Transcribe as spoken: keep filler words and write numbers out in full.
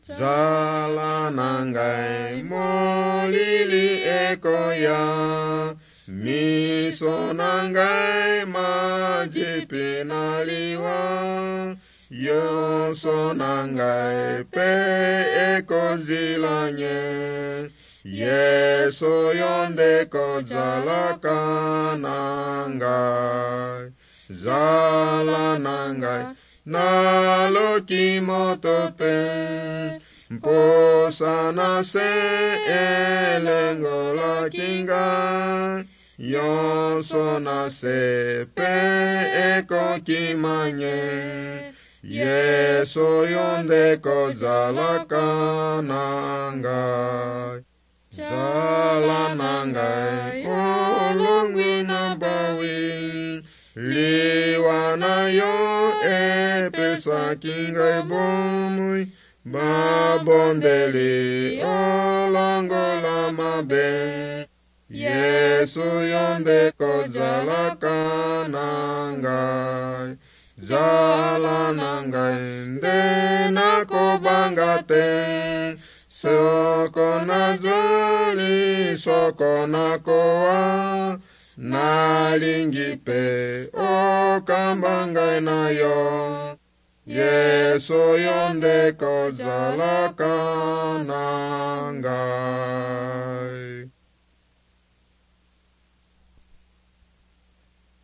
Zala na ngai molili ekoya, miso na ngai majipi na liwa, nyonso na ngai pe ekozila nye. Yesu yo nde kozalaka na ngai. Zala na ngai naluki moto te, mposa na se elengolaki ngai, nyonso na se pe ekokima nye. Yesu yo nde kozalaka na ngai. Zala na ngai olongwi na bawi, liwa na yo epesaki ngai bomoi, babondeli olongola mabe. Yesu yo nde kozalaka na ngai. Zala na ngai nde nakobanga te, soko nazali soko nakowa, nalingi mpe okamba ngai na yo. Yesu yo nde kozalaka na ngai.